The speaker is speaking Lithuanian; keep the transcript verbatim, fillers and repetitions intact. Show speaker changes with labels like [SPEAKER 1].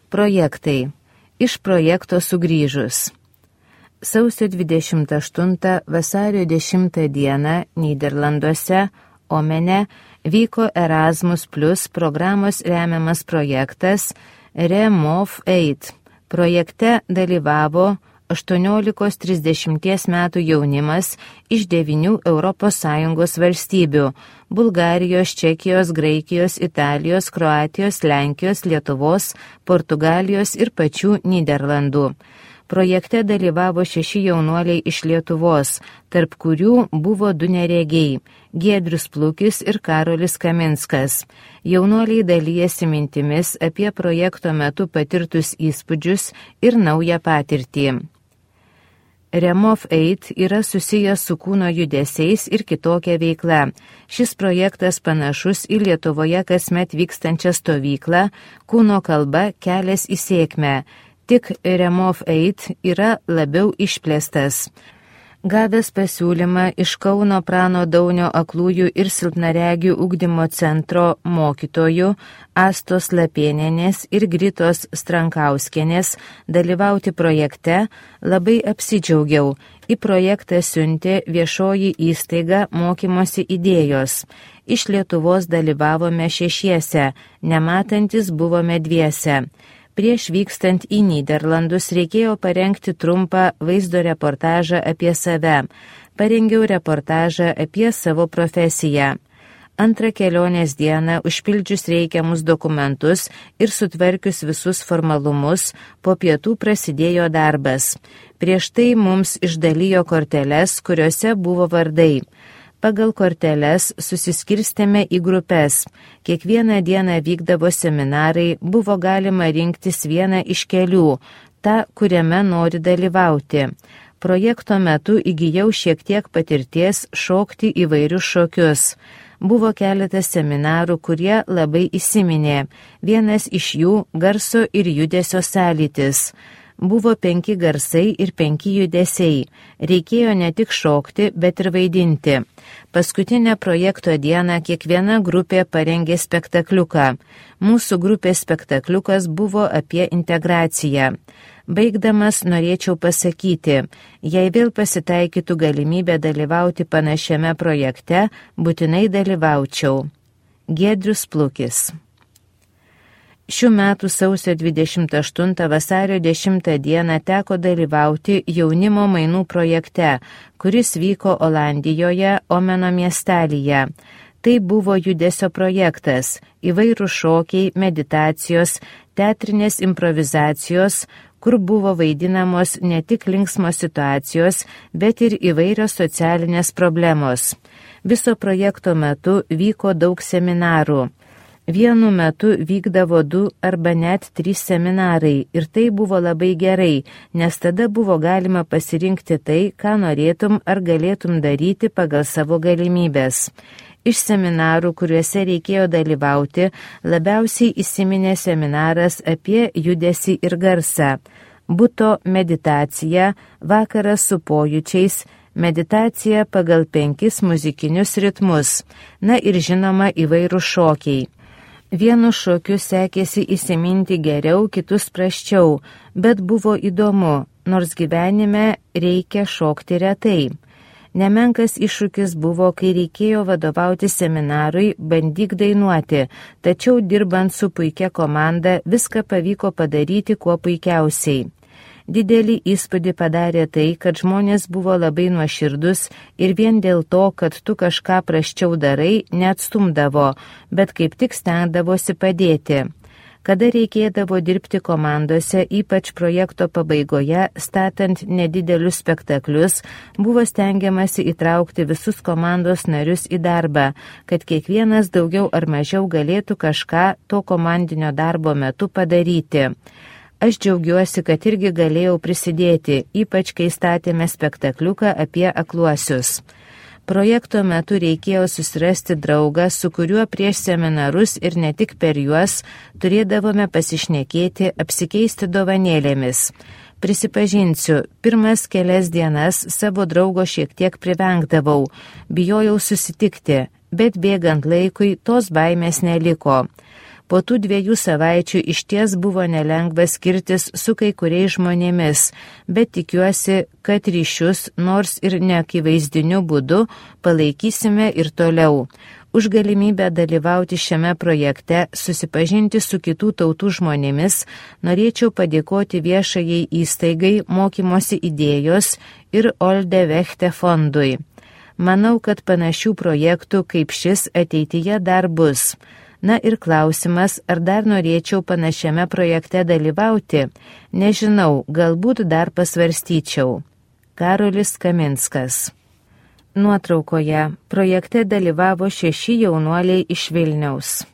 [SPEAKER 1] Projektai. Iš projekto sugrįžus. Sausio dvidešimt aštuntą vasario dešimtą dieną Nyderlanduose, Omene, vyko Erasmus Plus programos remiamas projektas Remove aid. Projekte dalyvavo aštuoniolikos trisdešimties metų jaunimas iš devynių Europos Sąjungos valstybių – Bulgarijos, Čekijos, Graikijos, Italijos, Kroatijos, Lenkijos, Lietuvos, Portugalijos ir pačių Nyderlandų. Projekte dalyvavo šeši jaunuoliai iš Lietuvos, tarp kurių buvo du neregiai – Giedrius Plukis ir Karolis Kaminskas. Jaunuoliai dalijasi mintimis apie projekto metu patirtus įspūdžius ir naują patirtį. Remove aid yra susijęs su kūno judesiais ir kitokia veikla. Šis projektas panašus į Lietuvoje kasmet vykstančią stovyklą Kūno kalba kelias į sėkmę. Tik Remove aid yra labiau išplėstas. Gavęs pasiūlymą iš Kauno Prano Daunio aklųjų ir silpnaregių ugdymo centro mokytojų Astos Lapėnienės ir Gritos Strankauskienės dalyvauti projekte, labai apsidžiaugiau. Į projektą siuntė viešoji įstaiga mokymosi idėjos. Iš Lietuvos dalyvavome šešiese, nematantis buvome dviese. Prieš vykstant į Nyderlandus reikėjo parengti trumpą vaizdo reportažą apie save. Parengiau reportažą apie savo profesiją. Antrą kelionės dieną, užpildžius reikiamus dokumentus ir sutvarkius visus formalumus, po pietų prasidėjo darbas. Prieš tai mums išdalijo korteles, kuriuose buvo vardai. Pagal korteles susiskirstėme į grupės. Kiekvieną dieną vykdavo seminarai, buvo galima rinktis vieną iš kelių, tą, kuriame nori dalyvauti. Projekto metu įgijau šiek tiek patirties šokti įvairius šokius. Buvo keletas seminarų, kurie labai įsiminė. Vienas iš jų garso ir judesio sąlytis. Buvo penki garsai ir penki judesiai. Reikėjo ne tik šokti, bet ir vaidinti. Paskutinę projekto dieną kiekviena grupė parengė spektakliuką. Mūsų grupės spektakliukas buvo apie integraciją. Baigdamas norėčiau pasakyti, jei vėl pasitaikytų galimybė dalyvauti panašiame projekte, būtinai dalyvaučiau. Giedrius Plukis. Šių metų sausio dvidešimt aštuntą vasario dešimtą dieną teko dalyvauti jaunimo mainų projekte, kuris vyko Olandijoje, Omeno miestelyje. Tai buvo judesio projektas, įvairūs šokiai, meditacijos, teatrinės improvizacijos, kur buvo vaidinamos ne tik linksmos situacijos, bet ir įvairios socialinės problemos. Viso projekto metu vyko daug seminarų. Vienu metu vykdavo du arba net trys seminarai ir tai buvo labai gerai, nes tada buvo galima pasirinkti tai, ką norėtum ar galėtum daryti pagal savo galimybės. Iš seminarų, kuriuose reikėjo dalyvauti, labiausiai įsiminė seminaras apie judesį ir garsą. Buto meditacija, vakaras su pojūčiais, meditacija pagal penkis muzikinius ritmus, na ir žinoma įvairūs šokiai. Vienu šokiu sekėsi įsiminti geriau, kitus prasčiau, bet buvo įdomu, nors gyvenime reikia šokti retai. Nemenkas iššūkis buvo, kai reikėjo vadovauti seminarui, bandyk dainuoti, tačiau dirbant su puikia komanda viską pavyko padaryti kuo puikiausiai. Didelį įspūdį padarė tai, kad žmonės buvo labai nuoširdus ir vien dėl to, kad tu kažką prasčiau darai, neatstumdavo, bet kaip tik stengdavosi padėti. Kada reikėdavo dirbti komandose, ypač projekto pabaigoje, statant nedidelius spektaklius, buvo stengiamasi įtraukti visus komandos narius į darbą, kad kiekvienas daugiau ar mažiau galėtų kažką to komandinio darbo metu padaryti. Aš džiaugiuosi, kad irgi galėjau prisidėti, ypač kai statėme spektakliuką apie akluosius. Projekto metu reikėjo susirasti draugą, su kuriuo prieš seminarus ir ne tik per juos turėdavome pasišnekėti, apsikeisti dovanėlėmis. Prisipažinsiu, pirmas kelias dienas savo draugo šiek tiek privengdavau, bijojau susitikti, bet bėgant laikui tos baimės neliko. Po tų dviejų savaičių išties buvo nelengva skirtis su kai kuriais žmonėmis, bet tikiuosi, kad ryšius, nors ir neakivaizdiniu būdu, palaikysime ir toliau. Už galimybę dalyvauti šiame projekte, susipažinti su kitų tautų žmonėmis, norėčiau padėkoti viešajai įstaigai Mokymosi idėjos ir Olde Vechte fondui. Manau, kad panašių projektų kaip šis ateityje dar bus. Na ir klausimas, ar dar norėčiau panašiame projekte dalyvauti? Nežinau, galbūt dar pasvarstyčiau. Karolis Kaminskas. Nuotraukoje projekte dalyvavo šeši jaunuoliai iš Vilniaus.